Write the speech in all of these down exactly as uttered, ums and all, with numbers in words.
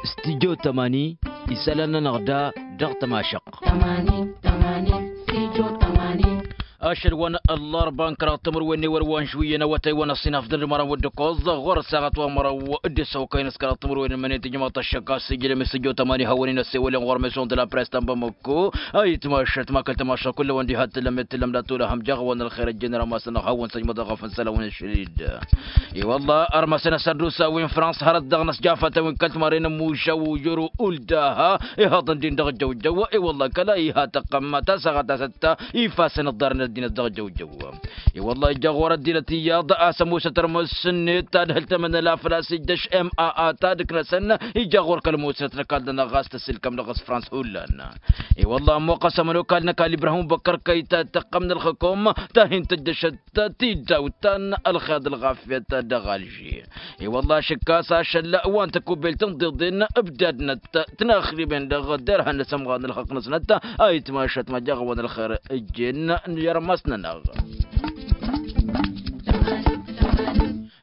Studio tamani. Isălan-nănăɣ da dăɣ-tămašăɣt. Ašăl wa n-ăllarba n-kăraḍ timǝrwen n-ewăr wa n-žuyyăn awătay wa n-ăṣṣinaf d-ălmăra n-wădda ăkoẓ ɣur-ăssaɣăt wa n-măraw d-ăssăwăkăyăn s-kăraḍ timǝrwen n-mănet ijmaḍ-t ăššăk a-s ijlăm i-studio tamani hawăn-in-ăssewălăn ɣur-meson d-la press ta n-bamăkko. Ayǝtmašăt ma kăl-tămašăɣ kull-awăn diha t-tǝllăm i-t-tǝllăm d-ad-tolăhăm jaɣ-awăn ălxer ăjjeen rămasăn-năɣ hawăn-săjmăḍăɣ ɣăf n-isălan wi n-ašăl-dd. I-wălla ărmăsăn asărdusa wi n-frans hărăt dăɣ-năsjafătăn wi n-kăl-timarren n-mužaw yoro uldaha ihăḍăn-din dăɣ-jăwjăw. I-wălla kăla iha tăqqăm tasaɣăt a-s ătta ifasăn ǝḍḍarăn ăddinăt dăɣ-jăwjăw. I-wălla ija ɣur-ăddinăt iyyăḍ a-s ămoosăt ărmăs-net ta d-hǝl tămănăla făl-a-s ijjăš m a a ta d-ǝknăsăn ija ɣur-kăl-ămoosăt n-ăkall-nănăɣ ɣas tăssilkăm dăɣ-s frans hullan. I-wălla ămmoqqăs ămănokal n-ăkall ibrahim băkkăr kăy-ta tăqqăm n-ălxǝkum ta hin-tǝjjăšăt tidawt ta n-ălxeḍ ălɣafyăt dăɣ-alži. I-wălla ašǝkkas ašăl wa n-tăkubbelt n-iḍeḍen ǝbdadnăt tinaxriben dăɣ-derhan n-asămɣar n-ălxăqq-năsnăt. Ayǝtmašăt ma jaɣ-awăn ălxer ǝjjen n-irmas-nănăɣ.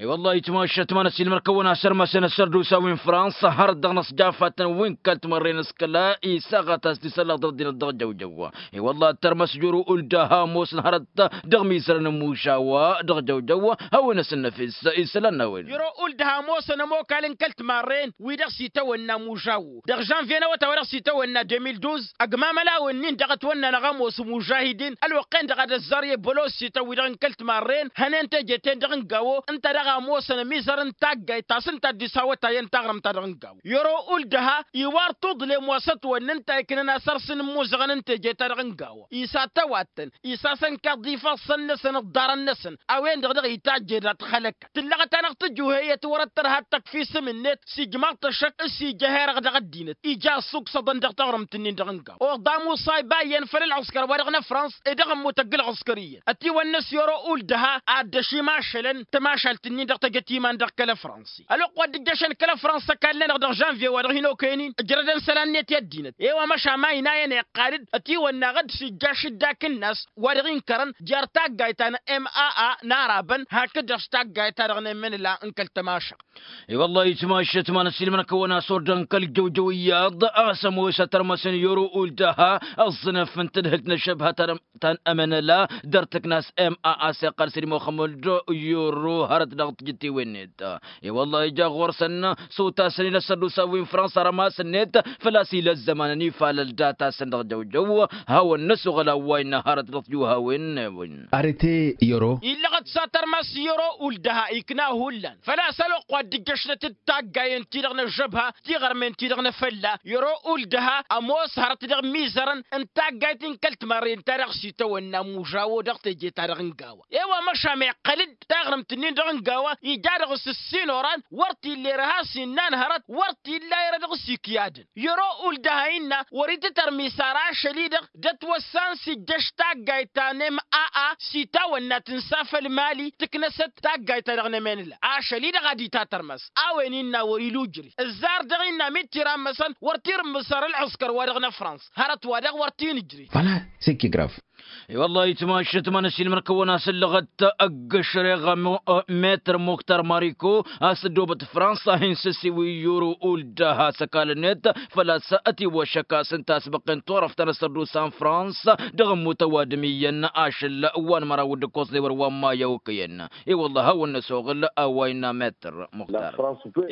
I-wălla ayǝtmašăt ma n-ăsiilmăr-kăwăn a-s ărmăsăn asărdusa wi n-frans hărăt dăɣ-năsjafătăn wi n-kăl-timărren s-kăla isaɣăt a-s disăllaɣ dăr-ăddinăt dăɣ-jăwjăw. I-wălla ăttărmăs joro uldaha ămoosăn hărăt dăɣ-mizărăn n-mužawa dăɣ-jăwjăw hawăn-ăsǝnnăfes isălan n-a-wen. Joro uldaha ămoosăn ămokal n-kăl-timarren wi dăɣ-s itawănna mužawo dăɣ-žănvye n-awătay wa dăɣ-s itawănna deux mille douze. Ăgmamăl a-wen-in dăɣ-ătwănnanăɣ ămoos mužahidin ălwăqq-en-dăɣ ad-ăzzar i-bălosităn wi-dăɣ n-kăl-timarren hănen teje-ten-dăɣ n-gawo ǝnta daɣ a ămoosăn ămizăr n-taggayt ta s-ǝnta dd-isawătayăn taɣrǝmt-ta-dăɣ n-gawo. Joro uldaha iwar tuḍlem wa s-ătwănna ǝnta iknăn asărs n-imuzăɣăn n-teje-ta-dăɣ n-gawo isatăwattăn isasăn kaḍ ifassăn-năsăn ǝḍḍarăn-năsăn a-wen-dăɣ dăɣ-itajje dat-xălăkăt tǝllăɣăt-anăɣ tǝjuheyăt wăr-ăttărhat tăkf isǝm-net s-ijmaḍ-t ăššăk s-ija herăɣ dăɣ-ăddinăt ija ăssuksăḍăn dăɣ-taɣrǝmt-nin-dăɣ n-gawo oḍamu s-a ibayyăn făll-ălɣǝskăr wa dăɣ-năfrans i-dăɣ ămmut ăgg-ălɣǝskăr iyyăn ătiwănnăs i-oro uldaha ad-dd-ăšimašălăn tămašalt-nin-dăɣ tăjăt iman dăɣ-kăl-ăfrans. Ălwăqq wa dd-ǝjjăšăn kăl-ăfrans ăkall-nănăɣ dăɣ-žănvye wa dăɣ-hin-okăyăn-in ǝjrădăn isălan-net i-ăddinăt. I-wa măšan ma ina iyyăn iqqal-dd ătiwănna ad-dd-sijjaš dd-ak ǝnnas wa dăɣ-inkărăn jer-taggayt ta n-m a a n-arabăn hakd-dăɣ s-taggayt ta dăɣ-nemmen ǝla n-kăl-tămašăɣt. I-wăllah itmašăt ma n-ăsiilmăr-kăwăn a-s ordăn kăl-jăwjăw iyyăḍ a-s ămoosăt ărmăsăn i-oro uldaha ăẓẓǝnăf n-tǝdhǝlt n-ăššăbha ta n-ămănăla dăr-tǝkna a-s m a a s-iqqăl săr-i muxămmăd i-oro hărăt dăɣ-tijǝttiwen-net. I-wăllah ija ɣur-săn s-utasăn-in ăssărdusa wi n-fransa rămas-net făl-a-s ila ăzzăman ănifalăl data-săn dăɣ-jăwjăw. Hawăn-năsuɣăl a-wa innă hărăt dăɣ-tijuhawen-wen. Arete i-oro. Illăɣăt s-ad-tărmas i-oro uldaha ikna hullan făl-a-s ălwăqq wa dd-ǝjjăšlăt d-taggayen-ti-dăɣ n-ăžžăbha tiɣărmen-ti-dăɣ n-efălla i-oro uldaha ămoos hărăt dăɣ-imizărăn n-taggayt n-kăl-timarren ta dăɣ-s itawănna mužawo dăɣ-teje-ta-dăɣ n-gawa. E-wa măšan iqqăl-dd taɣrǝmt-nin-dăɣ n-gawa ija dăɣ-s ǝssin oran wăr t-illa irha s-innan hărăt wăr t-illa irha dăɣ-s ikyadăn. I-oro uldaha innă wăr-itǝtărmis ara ašăl-i-dăɣ d-ătwăssan s-ijjăš taggayt ta n-m a a s-itawănna tǝnsa făll-mali tǝknăsăt taggayt-ta-dăɣ n-emenǝla ašăl-i-dăɣ ad-itatărmas. A-wen innă wăr-ila ujrǝy ǝzzar dăɣ-innă mi t-irammăsăn wăr t-irǝmmǝs ar ălɣǝskăr-wa-dăɣ n-ăfrans hărăt-wa-dăɣ wăr t-inǝjrǝy. Făl-a s-ǝkkigraf. I-wăllah itmašăt ma n-ăsiilmăr-kăwăn a-s ǝllăɣăt ăgg-ăšreɣ metr muktar mariko a-s ăddoobăt fransa hin-sǝsiwǝy i-oro uldaha s-ăkall-net făl-a-s ătiwăššăk a-s ǝnta a-s băqqen turăft ta n-ăssărdusa n-fransa dăɣ-ămmut ăwadǝm iyyăn ašăl wa n-măraw d-ǝkkoẓ d-ewăr wa n-maya okăyăn. I-wăllah hawăn-năsoɣǝl a-wa innă metr muktar.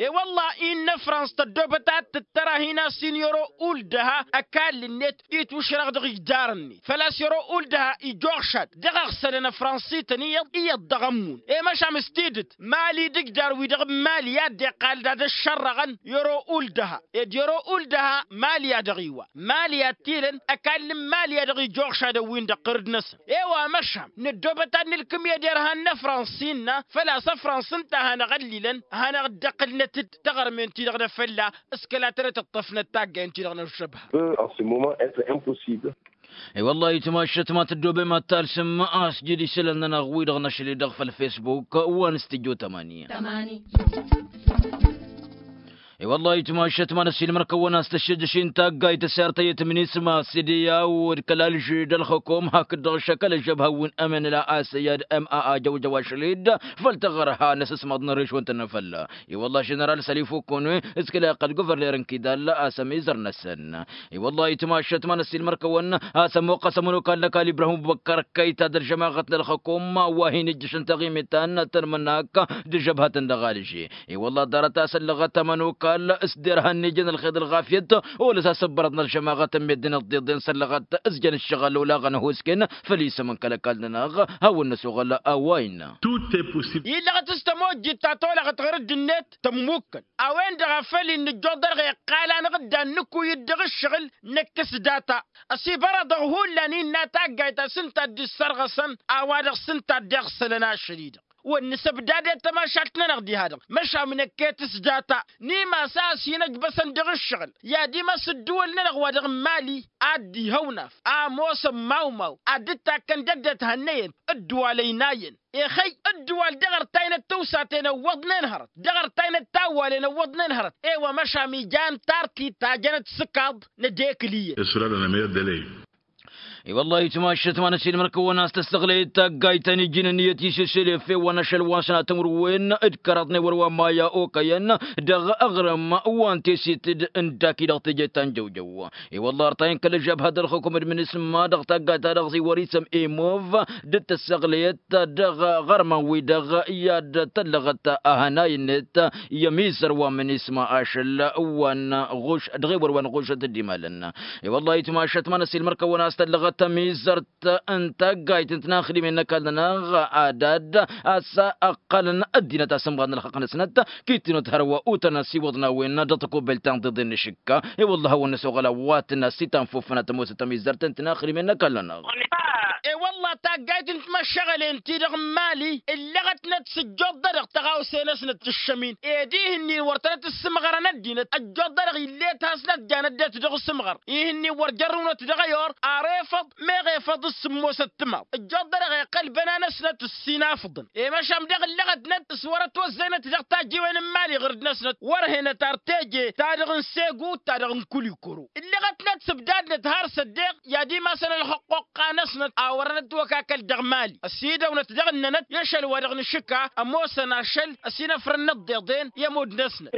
I-wăllah innă frans tăddoobăt ad-tǝttăr a hin-asin i-oro uldaha ăkall-net itwǝšrăɣ dăɣ-ijdar-net făl-a-s i-oro uldaha ijoɣšad dăɣ-aɣsălăn ăfransităn iyyăḍ iyyăḍ dăɣ-ămmun. I-măšan s-tidǝt mali d-ijdar-wi-dăɣ n-mali i-ad-dd-iqqal d-ad-ăššărrăɣăn i-oro uldaha ed i-oro uldaha mali a dăɣ-iwa mali ad-t-ilăn ăkall n-mali a dăɣ-ijoɣšadăn-win-dăɣ ɣǝrǝd-năsăn. E-wa măšan năddoobăt ad-nǝlkǝm i-ad-irhan n-ăfrans innă făl-a-s ăfrans ǝnta a hanăɣ-ăllilăn hanăɣ-dd-ăqqǝlnăt-dd taɣărmen-ti-dăɣ n-efălla s-kăla tărăt ǝṭṭăfnăt taggayen-ti-dăɣ n-ăžžăbha. Peut en ce moment être impossible. I-wăllah itmašăt ma tăddoobem ad-talsǝm a-s jid isălan-nănăɣ wi-dăɣ năšli dăɣ-făll-facebook wa n-studyo tămani. I-wăllah itmašăt ma n-ăssiilmăr-kăwăn a-s tăššăjjăš-in taggayt ăssirtăyăt minisma s-d-i-a-wăd kăl-alži d-ălxukum hakd-dăɣ šăkăl ăžžăb hawwin-ămănăla a-s ăyyad m-a-a jăwjăw ašăl-dd făll-taɣărha n-asǝsmaḍ n-ăriš wa n-tănnăfălla. I-wăllah ženăral sălifu kăwăn-wi s-kăla iqqăl guvărner n-kidal a-s ămizăr-năsăn. I-wăllah itmašăt ma n-ăssiilmăr-kăwăn a-s ămmuqqăs ămănokal n-ăkall ibrahim ăbubăkkăr kăyta d-ălžămaɣăt n-ălxukum wa hin-ijjăšăn taɣimit ta n-tănmănak d-žăbhătăn dăɣ-alže. I-wăllah ḍarăt a-s ăllăɣăt ămănokal s-derhan n-ijăn ălxeḍ ălɣafyăt olăs asǝbbărăḍ n-ălžămaɣăt n-meddǝn ăḍḍiḍen s-ăllăɣăt ǝzjăn ǝššăɣǝl olaɣăn ăhusken făll-isǝm n-kăl-ăkall-nănăɣ. Hawăn-năsoɣăl a-wa innă. Illăɣăt s-tămojjit ta tolăɣăt ɣur-dd-net tămmukkăn a-wen-dăɣ a făl-in nǝjjoḍ-dăɣ iqqal-anăɣ-dd ad-nǝkuy-dd dăɣ-ǝššăɣǝl năkk s-data. Ăsibărăḍăɣ hullan innă taggayt ta s-ǝnta a dd-issărɣăsăn a-wa-dăɣ s-ǝnta a dd-iɣsălăn ašăl-i-dăɣ. Wăr nǝsăbdad i-tămašalt-nănăɣ diha-dăɣ măšan năkk i-tǝsdata n-imas a ăsinăjbăsăn dăɣ-ǝššăɣǝl i-ad-imas ǝddǝwăl-nănăɣ wa dăɣ-n mali. Ad-dd-ihăwnaf ămoosăn mawmaw ad-dd-takkăn d-ăddinăt hannăyăn ǝddǝwal ăynayăn. Ixăy ǝddǝwal dăɣ-ărtaynet tawsaten ăwwăḍnen hărăt dăɣ-ărtaynet tawwalen ăwwăḍnen hărăt. I-wa măšan ija n-tartit ta jănăt s-ǝkaḍ n-ed ekǝl iyyăn. I-wăllah itmašăt ma n-ăsiilmăr-kăwăn a-s tăssăɣlăyăt taggayt ta n-iji n-ǝnniyăt isǝsǝlef i-wa n-ašăl wa s-nat timǝrwen d-kăraḍ n-ewăr wa n-maya okăyăn dăɣ-aɣrǝm wa n-tesit d-ǝndaki dăɣ-teje ta n-jăwjăw. I-wăllah ărtayăn kăl-ăžžabhăt d-ălxukum d-minisma dăɣ-taggayt-ta-dăɣ zi wăr-isǝm emov d-tăssăɣlăyăt dăɣ-iɣărman-wi-dăɣ i-ad-tăllăɣăt ahănay-net i-ămizăr wa n-minisma ašăl wa n-ɣuš dăɣ-ewăr wa n-ɣušăt d-imalăn. I-wăllah itmašăt ma n-ăsiilmăr-kăwăn a-s tăllăɣăt ămizărt n-taggayt n-tinaxdimen n-ăkall-nănăɣ ad-ad-a-s ăqqălăn ăddinăt asǝmɣad n-ălxăqq-năsnăt. Kittinăt hărwa utăn ăsiwăḍ n-a-wen dăɣ-tăkobelt ta n-tiḍen n-ašǝkka. I-wălla a hawăn-năsoɣăl a-wa tǝnna s-itanfufănăt ămoosăt ămizărt n-tinaxdimen n-ăkall-nănăɣ. I-wălla taggayt n-timăššăɣălen-ti-dăɣ n-imali ǝllăɣătnăt s-ǝjjoḍ-dăɣ tăɣawse-năsnăt tǝššăm-in ed ihǝnnin wăr tănăt-ǝssǝmɣărăn ăddinăt ăjjoḍ-dăɣ ill'-e-t hasnăt janăt-det dăɣ-asǝmɣăr. Ihǝnnin wăr jărrǝwnăt dăɣ-ăyor ar efăḍ meɣ efăḍ s-sǝmmosăt timaḍ ǝjjoḍ-dăɣ iqqăl băna-năsnăt ǝssin afǝḍăn. I-măšan dăɣ-ǝllăɣătnăt s-wăr-ătwăzzăynăt dăɣ-tajjiwen n-imali ɣǝrǝd-năsnăt wăr-henăt ar teje ta dăɣ-n segu ta dăɣ-n kulikoro. Ǝllăɣătnăt s-ǝbdadnăt har s-ăddeɣ i-ad-imasăn ălxăqqoqqa-năsnăt a wărăn ătwăkakăl dăɣ-mali ăsidăwnăt dăɣ-ǝnnănăt i-ašăl wa dăɣ-nǝšǝka ămoosăn ašăl ăsinăfrăn n-ăḍḍeḍen i-ămudd-năsnăt.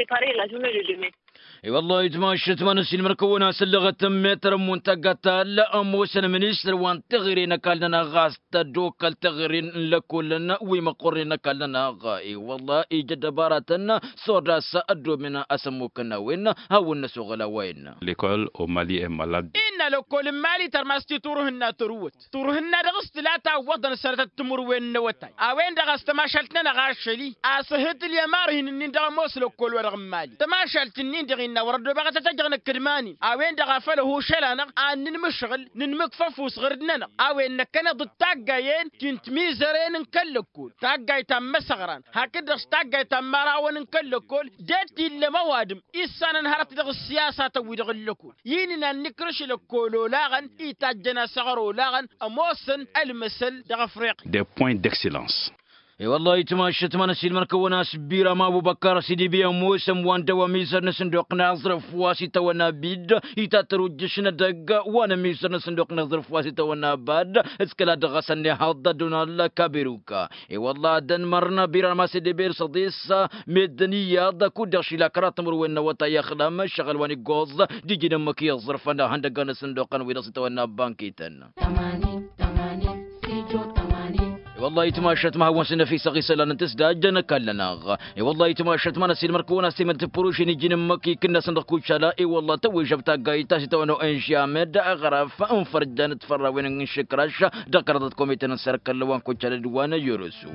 I-wăllah itmašăt ma n-ăsiilmăr-kăwăn a-s ǝllăɣăt n-metăr n-muntagga ta-ăll ămoosăn ministăr wa n-teɣăre n-ăkall-nănăɣ ɣas tăddokkăl teɣăre n-lăkkolăn wi măqqornen n-ăkall-nănăɣ. I-wăllah ija ăddăbaratăn s-orda a-s ăddomen asămmukăn n-a-wen. Hawăn-năsoɣăl a-wa innă. Lekol omali e malad. Innă lăkkol n-mali tărmas-t i-turhǝnna tărǝwwăt turhǝnna dăɣ-s tǝla tawwăḍăn sănătăt timǝrwen n-awătay a-wen-dăɣ a-s tămašalt-nănăɣ ašăl-i a-s ǝhǝtǝl i-ămarhin-nin dăɣ-ămoos lăkkol wa dăɣ-n mali tămašalt-nin-dăɣ innă wăr-ăddobeɣăt ad-t-ăjăɣ năkk d-iman-in a-wen-dăɣ a făl ăhušăl-anăɣ ad-nǝnmǝšɣǝl nǝnmǝkf ăfuss ɣur-dd-nănăɣ a-wen năkkăneḍ d-taggayen ti n-timizăren n-kăl-lăkkol taggayt ta n-imăsăɣran hakd-dăɣ s-taggayt ta n-imărawăn n-kăl-lăkkol. Det illăm ăwadǝm issanăn hărăt dăɣ-ǝssiyasatăn-wi-dăɣ n-lăkkol i-inǝnan n-ikrǝš lăkkol olaɣăn itajjăn asăɣăr olaɣăn ămoosăn ălmăsăl dăɣ-afriqya. Des points d'excellence. I-wăllah itmašăt ma n-ăsiilmăr-kăwăn a-s biram abubăkkar s-dd-ibi ămoosăn wa n-dăw-ămizăr n-asǝnduq n-aẓrǝf wa s-itawănna bid itatăr ujjǝš n-edăgg wa n-ămizăr n-asǝnduq n-aẓrǝf wa s-itawănna bad. S-kăla dăɣ-asăn ihăḍ d-donald kaberuka. I-wăllah ad-ănmărnă biram a-s dd-iber s-ăḍes meddǝn iyyăḍ kud-dăɣ šila kăraḍ timǝrwen n-awătay ăxlăm ǝššăɣǝl wa n-iggoẓ d-iji n-ǝmmǝk i-ăẓrǝfăn ihăndăggan asǝnduqăn wi-dăɣ s-itawănna bankităn. Wăllah itmašăt ma hawăn-săn năfisăɣ isălan n-tǝsdajjăn ăkall-nănăɣ. I-wăllah itmašăt ma n-ăsiilmăr-kăwăn a-s temăd tǝppurušin iji n-ǝmmǝk ikǝnnasăn dăɣ-kucala i-wăllah tăwwejăb taggayt ta s-itawănna o n g amed aɣrăf n-fărjan d-fărrawen n-išǝkraš dăɣ-kăraḍăt komiten n-sărkăl wa n-kucala d-wa n-ăjorăsu.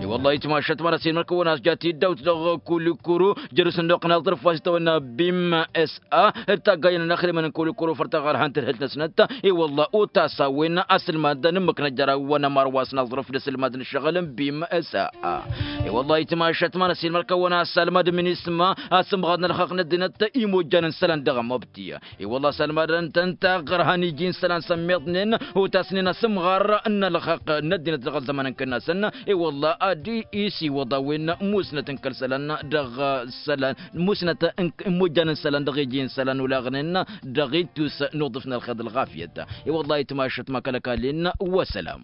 I-wăllah itmašăt ma n-ăsiilmăr-kăwăn a-s jat-iddawt dăɣ-kulikuru jăr-s ănnuqna aẓrǝf wa s-itawănna bim s-a d-taggayen n-axdimăn n-kulikuru făr taɣărhant tǝdhǝlt-năsnăt. I-wăllah otas a-wen asǝlmad n-ǝmmǝk n-ăjjăra wa n-ămar wa s-naẓrǝf d-asǝl. Almad n-ašăɣǝl n-bim s-a. I-wăllah itmašăt ma n-asilmăr kăwăn-assalmad minisma asǝmɣad n-ălxăqq n-ăddinăt imojjan n-isălan dăɣ-amăbti. I-wăllah assalmad n-tăn-taɣrăhăn iji n-isălan sămmiḍnen otasnen asǝmɣar n-ălxăqq n-ăddinăt dăɣ-ălzăman n-kănnasăn. I-wăllah ad-isiwăḍ a-wen musnăt n-kăl-isălan dăɣ-isălan musnăt n-imojjan n-isălan dăɣ-iji n-isălan olaɣnen dăɣ-ittus n-uḍǝf n-ălxer d-ălɣafyăt. I-wăllah itmašăt ma kăl-ăkall-in. Wăsălam.